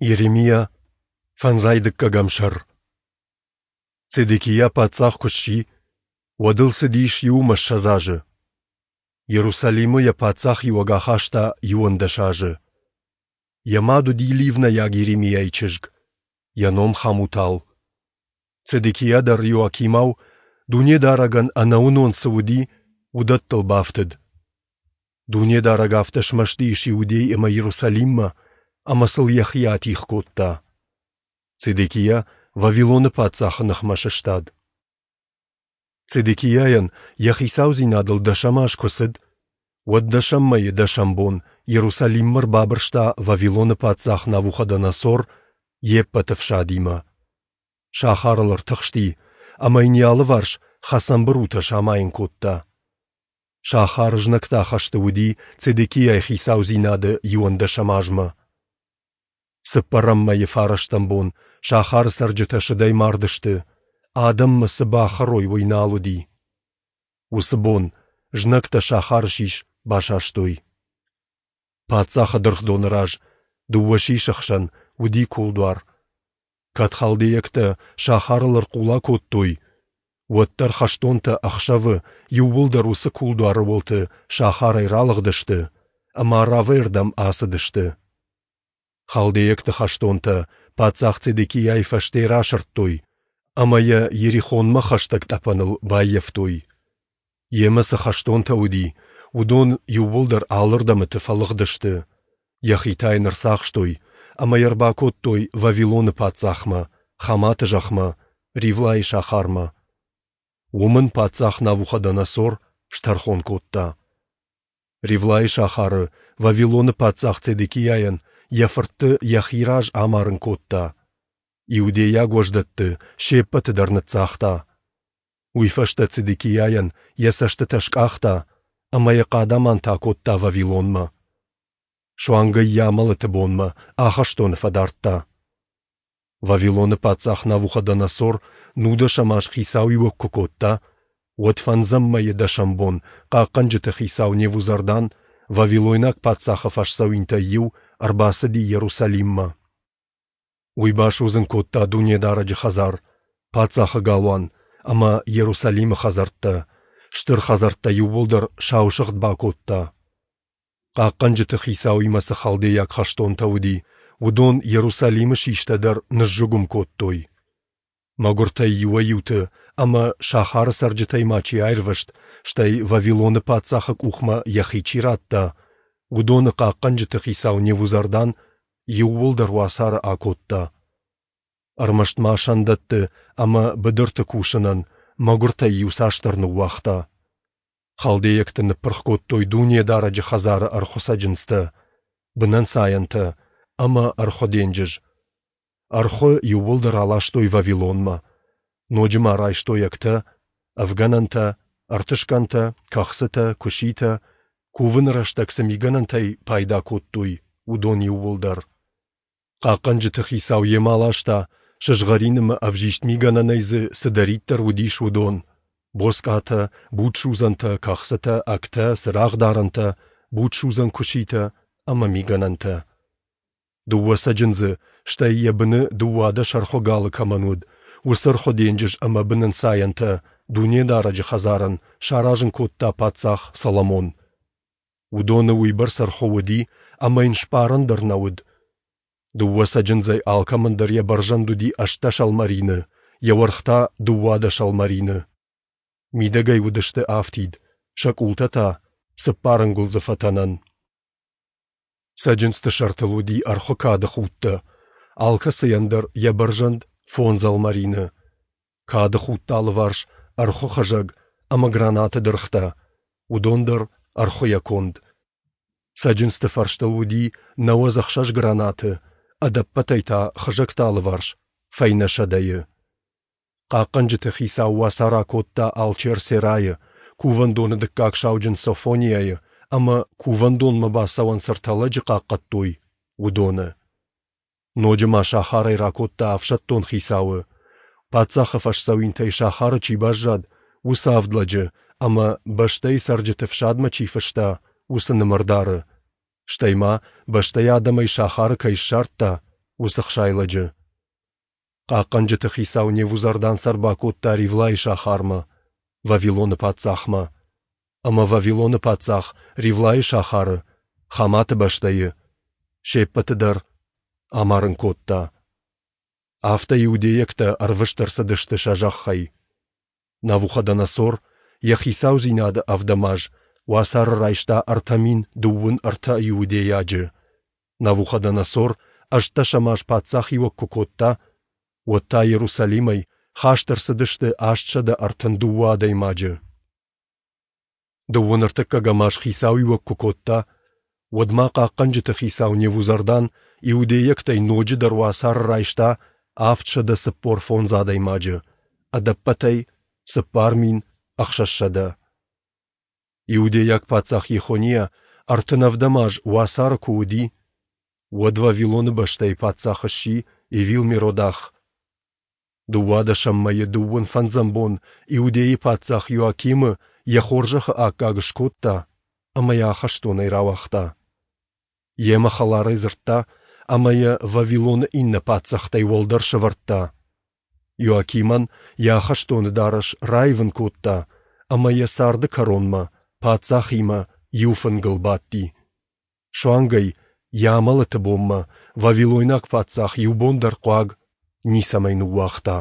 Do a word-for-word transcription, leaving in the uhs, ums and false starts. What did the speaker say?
Йеремиа, фӕндзай дыккӕгӕм сӕр. Цедекиа паддзах куы сси, уӕд ыл цыдис иу ӕмӕ ссӕдз азы. Иерусалимы йӕ паддзахиуӕг ахаста иуӕндӕс азы. Йӕ мад уыди ливнӕйаг Йеремиайы чызг, йӕ ном Хамутал. Цедекиа дӕр Иоакимау, Дунедарӕгӕн ӕнӕуынон цы уыди, уыдӕттыл бафтыд. Дунедарӕг афтӕ смӕсты ис Иудей ӕмӕ Иерусалиммӕ, ӕмӕ сыл йӕхи атигъ кодта. Цедекиа Вавилоны паддзахы ныхмӕ сыстад. Цедекиайӕн йӕ хицаудзинадыл дӕсӕм аз куы цыд, уӕд дӕсӕм мӕйы дӕсӕм бон Иерусалиммӕ ӕрбабырста Вавилоны паддзах Навуходоносор йе ппӕт ӕфсадимӕ. Сахарыл ӕртыхсти ӕмӕ йын йӕ алыварс хӕцӕн бырутӕ самайын кодта. Сахар знӕгты ахӕсты уыди Цедекиайы хицаудзинады иуӕндӕсӕм азмӕ. Цыппӕрӕм мӕйы фарӕстӕм бон сахары цӕрджытӕ сыдӕй мардысты, адӕммӕ цы бахӕрой, уый нал уыди. Уыцы бон знӕгтӕ сахары сис басастой. Паддзахы дыргъдоны раз, дыууӕ сисы хсӕн, уыди кулдуар. Кӕд халдейӕгтӕ сахарыл ӕрхъула кодтой, уӕддӕр хӕстонтӕ ӕхсӕвы иууылдӕр уыцы кулдуары уылты сахарӕй ралыгъдысты ӕмӕ Аравӕй рдӕм ацыдысты. Халдейӕгты хӕстонтӕ паддзах Цедекиайы фӕсте расырдтой ӕмӕ йӕ Иерихонмӕ хӕстӕг тъӕпӕныл баййӕфтой. Йемӕ цы хӕстонтӕ уыди, уыдон иууылдӕр алырдӕмыты фӕлыгъдысты. Йӕхи та йын ӕрцахстой ӕмӕ йӕ ӕрбакодтой Вавилоны паддзахмӕ, Хаматы зӕхмӕ, Ривлайы сахармӕ. Уым ын паддзах Навуходоносор стӕрхон кодта. Ривлайы сахары Вавилоны паддзах Цедекиайӕн йӕ фыртты йӕхи раз амарын кодта. Иудейаг уӕздӕтты се ппӕты дӕр ныццагъта. Уый фӕстӕ Цедекиайӕн йӕ цӕстытӕ скъахта ӕмӕ йӕ хъадаманты акодта Вавилонмӕ. Суанг ӕй йӕ амӕлӕты бонмӕ ахӕстоны фӕдардта. Вавилоны паддзах Навуходоносор нудӕсӕм аз хицауиуӕг куы кодта, уӕд фӕндзӕм мӕйы дӕсӕм бон хъахъхъӕнджыты хицау Невузардан, вавилойнаг паддзахы фӕсдзӕуинтӕй иу, ӕрбацыди Иерусалиммӕ. Уый басудзын кодта Дунедарӕджы хӕдзар, паддзахы галуан ӕмӕ Иерусалимы хӕдзӕрттӕ, стыр хӕдзӕрттӕ иууылдӕр саусыгъд бакодта. Хъахъхъӕнджыты хицауимӕ цы халдейаг хӕстонтӕ уыди, уыдон Иерусалимы систӕ дӕр ныззыгуым кодтой. Мӕгуыртӕй иуӕй-иуты ӕмӕ сахары цӕрджытӕй ма чи аирвӕзт, стӕй Вавилоны паддзахы къухмӕ йӕхи чи радта, уыдоны хъахъхъӕнджыты хицау Невузардан иууылдӕр уацары акодта. Ӕрмӕст ма сӕндӕтты ӕмӕ быдырты кусынӕн мӕгуыртӕй иуцасдӕр ныууагъта. Халдейӕгты ныппырх кодтой Дунедарӕджы хӕдзары ӕрхуы цӕджындзтӕ, бынӕнцайӕнтӕ ӕмӕ ӕрхуы денджыз. Ӕрхуы иууылдӕр аластой Вавилонмӕ. Ноджы ма райстой ӕгтӕ, ӕвгӕнӕнтӕ, ӕртысгӕнтӕ, кӕхцытӕ, куыситӕ, кувыны рӕстӕг цы мигӕнӕнтӕй пайда кодтой, уыдон иууылдӕр. Хъахъхъӕнджыты хицау йемӕ аласта, сызгъӕрин ӕмӕ ӕвзист мигӕнӕнӕй дзы цыдӕриддӕр уыдис, уыдон: боцкъатӕ, будсудзӕнтӕ, кӕхцытӕ, ӕгтӕ, цырагъдарӕнтӕ, будсудзӕн куыситӕ ӕмӕ мигӕнӕнтӕ. Дыууӕ цӕджындзы, стӕй йӕ быны дыууадӕс ӕрхуы галы кӕмӕн уыд, уыцы ӕрхуы денджыз ӕмӕ бынӕнцайӕнтӕ Дунедарӕджы хӕдзарӕн саразын кодта паддзах Соломон. Уыдоны уыйбӕрц ӕрхуы уыди, ӕмӕ йын сбарӕн дӕр нӕ уыд. Дыууӕ цӕджындзӕй алкӕмӕн дӕр йӕ бӕрзӕнд уыди ӕстдӕс ӕлмӕрины, йӕ уӕрх та дыууадӕс ӕлмӕрины. Мидӕгӕй уыдысты афтид, сӕ къултӕ та цыппар ӕнгуылдзы фӕтӕнӕн. Цӕджындзты сӕртыл уыди ӕрхуы кады худтӕ, алкӕцыйӕн дӕр йӕ бӕрзӕнд фондз ӕлмӕрины. Кады худты алыварс ӕрхуы хызӕг ӕмӕ гранаты дыргътӕ, уыдон дӕр ӕрхуыйӕ конд. Цӕджындзты фӕрстыл уыди нӕуӕдз ӕхсӕз гранаты, ӕдӕппӕтӕй та хызӕгты алыварс фӕйнӕ сӕдӕйы. Хъахъхъӕнджыты хицау уацар акодта алчер Серайы, кувӕндоны дыккаг сауджын Софониайы ӕмӕ кувӕндонмӕ бацӕуӕн цы ӕртӕ лӕджы хъахъхъӕдтой, уыдоны. Ноджы ма сахарӕй ракодта ӕфсӕддон хицауы, паддзахы фӕсдзӕуинтӕй сахары чи баззад, уыцы авд лӕджы ӕмӕ бӕстӕйы цӕрджыты фсадмӕ чи фыста, уыцы нымӕрдары, стӕй ма, бӕстӕйы адӕмӕй сахары кӕй ссардта, уыцы ӕхсай лӕджы. Хъахъхъӕнджыты хицау Невузардан сӕ ӕрбакодта Ривлайы сахармӕ, Вавилоны паддзахмӕ. Ӕмӕ Вавилоны паддзах Ривлайы сахары, Хаматы бӕстӕйы, се ппӕты дӕр амарын кодта. Афтӕ иудейӕгтӕ ӕрвыст ӕрцыдысты сӕ зӕххӕй. Навуходоносор йӕ хицаудзинады ӕвдӕм аз уацары райста ӕртӕ мин дыууын ӕртӕ иудейаджы. Навуходоносор ӕстдӕсӕм аз паддзахиуӕг куы кодта, уӕд та Иерусалимӕй хаст ӕрцыдысты астсӕдӕ ӕртын дыууӕ адӕймаджы. Дыууын ӕртыккӕгӕм аз хицауиуӕг куы кодта, уӕд ма хъахъхъӕнджыты хицау Невузардан иудейӕгтӕй ноджыдӕр уацары райста авдсӕдӕ цыппор фондз адӕймаджы, ӕдӕппӕтӕй цыппар мин ӕхсӕзсӕдӕ. Иудейаг паддзах Йехониа ӕртын ӕвдӕм аз уацары куы уыди, уӕд Вавилоны бӕстӕйы паддзах сси Эвил-Меродах. Дыууадӕсӕм мӕйы дыууын фӕндзӕм бон Иудейы паддзах Иоакимы йӕ хорзӕхы аккаг скодта ӕмӕ йӕ ахӕстонӕй рауагъта. Йемӕ хӕларӕй дзырдта ӕмӕ йӕ Вавилоны иннӕ паддзӕхтӕй уӕлдӕр сӕвӕрдта. Иоакимӕн йӕ ахӕстоны дарӕс раивын кодта ӕмӕ йӕ царды кӕронмӕ паддзахимӕ иу фынгыл бадти. Суанг ӕй йӕ амӕлӕты бонмӕ вавилойнаг паддзах иу бон дӕр хъуаг ницӕмӕй ныууагъта.